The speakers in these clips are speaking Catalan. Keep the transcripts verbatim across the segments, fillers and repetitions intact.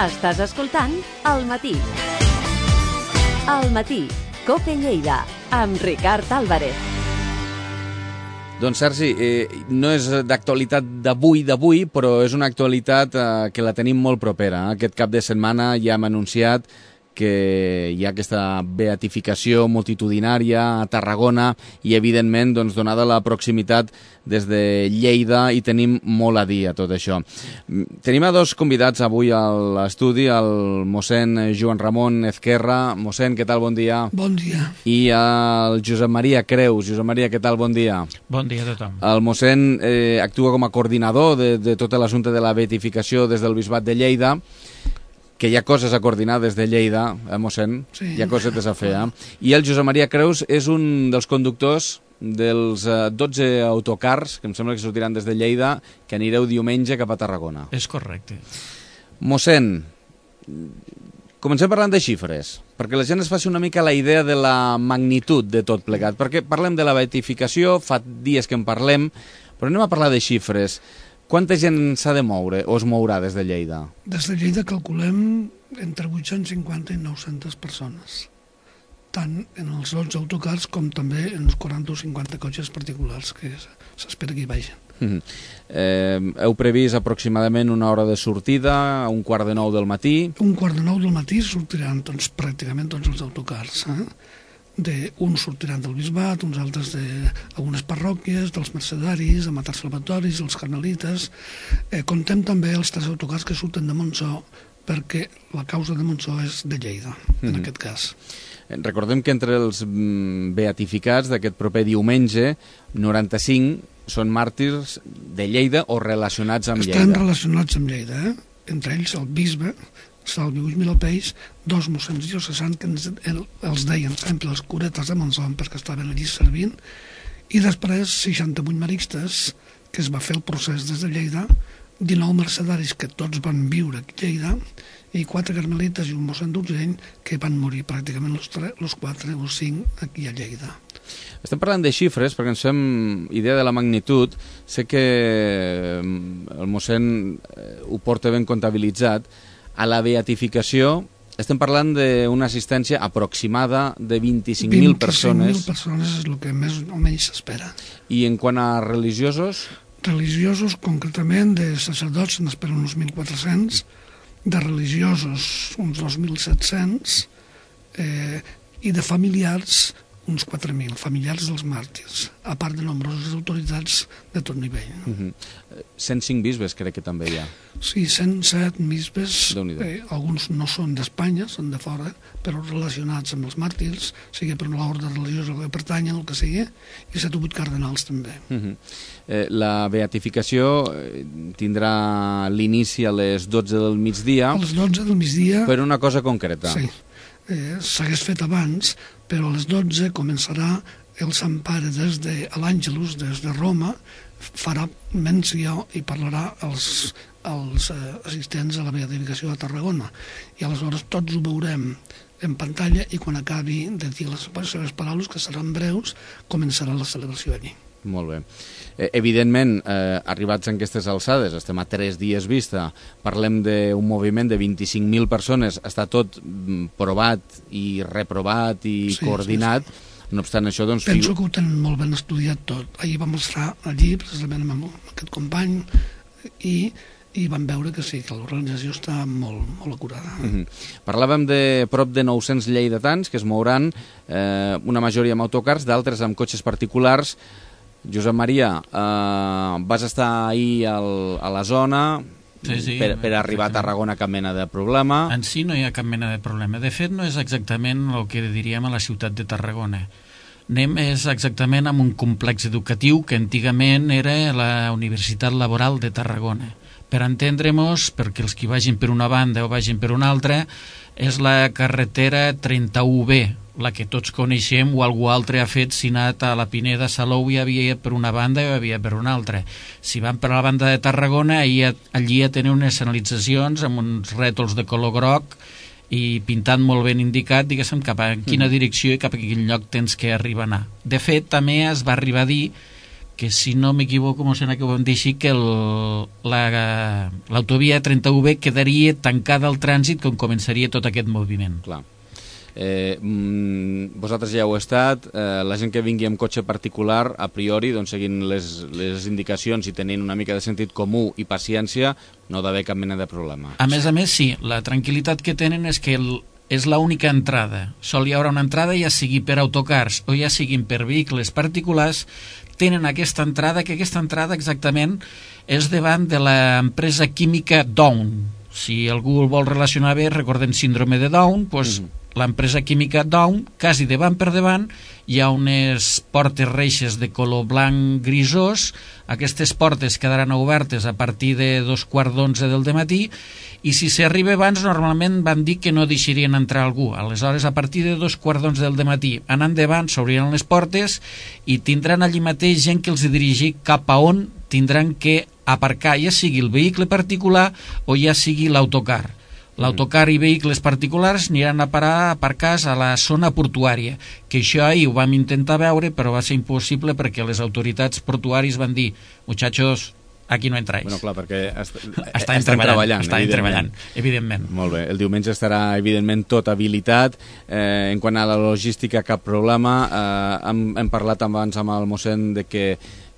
Estàs escoltant El Matí. El Matí, COPE Lleida, amb Ricard Álvarez. Doncs Sergi, eh, no és d'actualitat d'avui d'avui, però és una actualitat eh, que la tenim molt propera. Aquest cap de setmana ja hem anunciat que hi ha aquesta beatificació multitudinària a Tarragona i, evidentment, doncs, donada la proximitat des de Lleida, hi tenim molt a dir a tot això. Tenim a dos convidats avui a l'estudi, el mossèn Joan Ramon Ezquerra. Mossèn, què tal? Bon dia. Bon dia. I el Josep Maria Creus. Josep Maria, què tal? Bon dia. Bon dia a tothom. El mossèn eh, actua com a coordinador de, de tot l'assumpte de la beatificació des del Bisbat de Lleida, que hi ha coses a coordinar des de Lleida, eh, mossèn? Sí. Hi ha cosetes a fer, eh? I el Josep Maria Creus és un dels conductors dels eh, dotze autocars, que em sembla que sortiran des de Lleida, que anireu diumenge cap a Tarragona. És correcte. Mossèn, comencem parlant de xifres, perquè la gent es faci una mica la idea de la magnitud de tot plegat, perquè parlem de la beatificació, fa dies que en parlem, però anem a parlar de xifres. Quanta gent s'ha de moure o es mourà des de Lleida? Des de Lleida calculem entre vuit-cents cinquanta i nou-centes persones, tant en els dotze autocars com també en els quaranta o cinquanta cotxes particulars que s'espera que hi vagin. Mm-hmm. eh, heu previst aproximadament una hora de sortida, un quart de nou del matí? Un quart de nou del matí sortiran doncs, pràcticament tots els autocars, eh? De, uns sortiran del Bisbat, uns altres d'algunes parròquies, dels mercedaris, de Matar Salvatoris, els carmelites. Eh, contem també els tres autocars que surten de Montsó, perquè la causa de Montsó és de Lleida, en mm-hmm. aquest cas. Recordem que entre els beatificats d'aquest proper diumenge, noranta-cinc són màrtirs de Lleida o relacionats amb Lleida. Estan relacionats amb Lleida, eh? Entre ells el bisbe, Salvi Huix Milapeix, dos mossens diocesans que ens, el, els deien sempre els curetes de Montsó perquè estaven allí servint, i després seixanta-vuit maristes, que es va fer el procés des de Lleida, dinou mercedaris que tots van viure a Lleida, i quatre carmelites i un mossèn d'Urgell que van morir pràcticament els, tres, els quatre o cinc aquí a Lleida. Estem parlant de xifres perquè ens fem idea de la magnitud. Sé que el mossèn ho porta ben comptabilitzat. A la beatificació estem parlant d'una assistència aproximada de vint-i-cinc mil persones. vint-i-cinc mil persones és el que més o menys s'espera. I en quant a religiosos? Religiosos, concretament, de sacerdots se n'esperen uns mil quatre-cents, de religiosos uns dos mil set-cents, eh, i de familiars uns quatre mil, familiars dels màrtirs, a part de nombroses autoritats de tot nivell. No? Uh-huh. cent cinc bisbes crec que també hi ha. Sí, cent set bisbes, eh, alguns no són d'Espanya, són de fora, però relacionats amb els màrtirs, sigui per l'ordre religiós que pertanyen, el que sigui, i set o vuit cardenals també. Uh-huh. eh, la beatificació tindrà l'inici a les dotze del migdia. A les dotze del migdia. Per una cosa concreta. Sí. Eh, s'hagués fet abans, però a les dotze començarà el Sant Pare des de l'Àngelus, des de Roma, farà menció i parlarà als, als eh, assistents a la beatificació de Tarragona. I aleshores tots ho veurem en pantalla i quan acabi de dir les seves paraules, que seran breus, començarà la celebració allí. Molt bé. Eh, evidentment, eh, arribats en aquestes alçades, estem a tres dies vista, parlem d'un moviment de vint-i-cinc mil persones, està tot provat i reprovat i sí, coordinat, sí, sí. No obstant això, doncs... Penso que ho tenen molt ben estudiat tot. Ahir vam estar allí, precisament amb aquest company, i, i vam veure que sí, que l'organització està molt, molt acurada. Mm-hmm. Parlàvem de prop de nou-cents lleidatans que es mouran, eh, una majoria amb autocars, d'altres amb cotxes particulars. Josep Maria, eh, vas estar ahir al, a la zona... Sí, sí, per, per arribar a Tarragona cap mena de problema. En si no hi ha cap mena de problema. De fet, no és exactament el que diríem a la ciutat de Tarragona. Anem és exactament amb un complex educatiu que antigament era la Universitat Laboral de Tarragona. Per entendre-nos, perquè els que vagin per una banda o vagin per una altra, és la carretera trenta-u B, la que tots coneixem o algú altre ha fet si ha anat a la Pineda Salou i havia per una banda i havia per una altra. Si van per la banda de Tarragona, allí, allí ja tenen unes senyalitzacions amb uns rètols de color groc i pintant molt ben indicat, diguéssim, cap a quina direcció i cap a quin lloc tens que arribar a anar. De fet, també es va arribar a dir que si no m'equivoco, m'ho sembla que ho vam dir així, que el, la, l'autovia trenta u B quedaria tancada al trànsit quan començaria tot aquest moviment. Clar. Eh, mm, vosaltres ja heu estat, eh, la gent que vingui amb cotxe particular, a priori, doncs, seguint les, les indicacions i tenint una mica de sentit comú i paciència, no ha d'haver cap mena de problema. A més a més, sí, la tranquil·litat que tenen és que el, és l'única entrada. Sol hi haurà una entrada, ja sigui per autocars o ja siguin per vehicles particulars, tenen aquesta entrada, que aquesta entrada exactament és davant de l'empresa química Down. Si algú el vol relacionar bé, recordem síndrome de Down, doncs mm-hmm. l'empresa química Down, quasi davant per davant, hi ha unes portes reixes de color blanc grisós. Aquestes portes quedaran obertes a partir de dos quarts d'onze del dematí, i si s'arriba abans normalment van dir que no deixarien entrar algú. Aleshores, a partir de dos quarts d'onze del dematí anant davant s'obriran les portes i tindran allí mateix gent que els dirigir cap a on tindran que aparcar, ja sigui el vehicle particular o ja sigui l'autocar. L'autocar i vehicles particulars aniran a parar a aparcars a la zona portuària, que això ahir ho vam intentar veure, però va ser impossible perquè les autoritats portuàries van dir, muchachos, aquí no entráis. Bueno, clar, perquè est estan, estan treballant, estan treballant, evidentment. Molt bé, el diumenge estarà, evidentment, tot habilitat. Eh, en quant a la logística, cap problema. Eh, hem, hem parlat abans amb el mossèn de que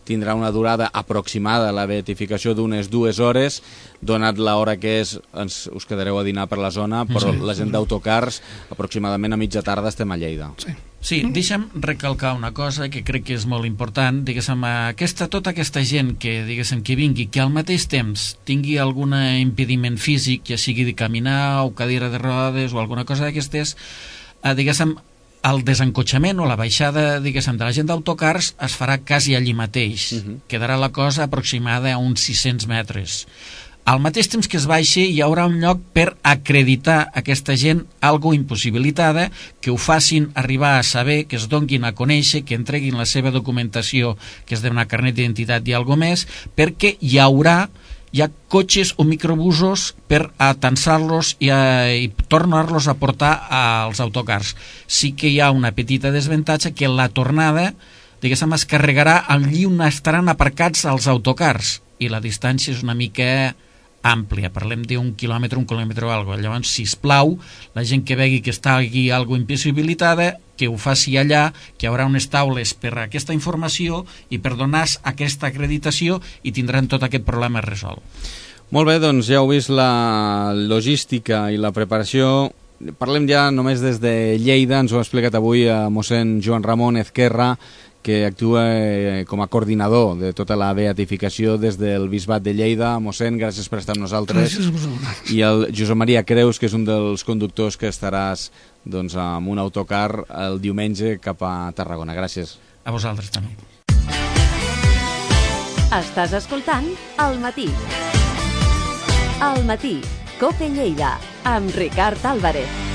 tindrà una durada aproximada la beatificació d'unes dues hores, donat l'hora que és, ens, us quedareu a dinar per la zona, però sí, la gent d'autocars aproximadament a mitja tarda estem a Lleida. Sí. Sí, deixa'm recalcar una cosa que crec que és molt important, diguéssim, aquesta, tota aquesta gent que, diguéssim, que vingui, que al mateix temps tingui algun impediment físic, ja sigui de caminar o cadira de rodes o alguna cosa d'aquestes, eh, diguéssim, el desencotxament o la baixada, diguéssim, de la gent d'autocars es farà quasi allí mateix. Uh-huh. Quedarà la cosa aproximada a uns sis-cents metres. Al mateix temps que es baixi hi haurà un lloc per acreditar aquesta gent algo impossibilitada, que ho facin arribar a saber, que es donguin a conèixer, que entreguin la seva documentació, que és d'una carnet d'identitat i algo més, perquè hi haurà hi ha cotxes o microbusos per atansar-los i, a, i tornar-los a portar als autocars. Sí que hi ha una petita desavantatge, que la tornada, diguéssim, es carregarà allí on estaran aparcats els autocars, i la distància és una mica àmplia, parlem d'un quilòmetre, un quilòmetre o alguna cosa. Llavors, sisplau, la gent que vegi que està aquí alguna impossibilitada, que ho faci allà, que hi haurà unes taules per a aquesta informació i per donar aquesta acreditació, i tindran tot aquest problema resolt. Molt bé, doncs ja heu vist la logística i la preparació. Parlem ja només des de Lleida, ens ho ha explicat avui a mossèn Joan Ramon Ezquerra, que actua com a coordinador de tota la beatificació des del Bisbat de Lleida. Mossèn, gràcies per estar amb nosaltres. Gràcies a vosaltres. I el Josep Maria Creus, que és un dels conductors que estaràs doncs, amb un autocar el diumenge cap a Tarragona. Gràcies. A vosaltres també. Estàs escoltant Al Matí. Al Matí, COPE Lleida, amb Ricard Álvarez.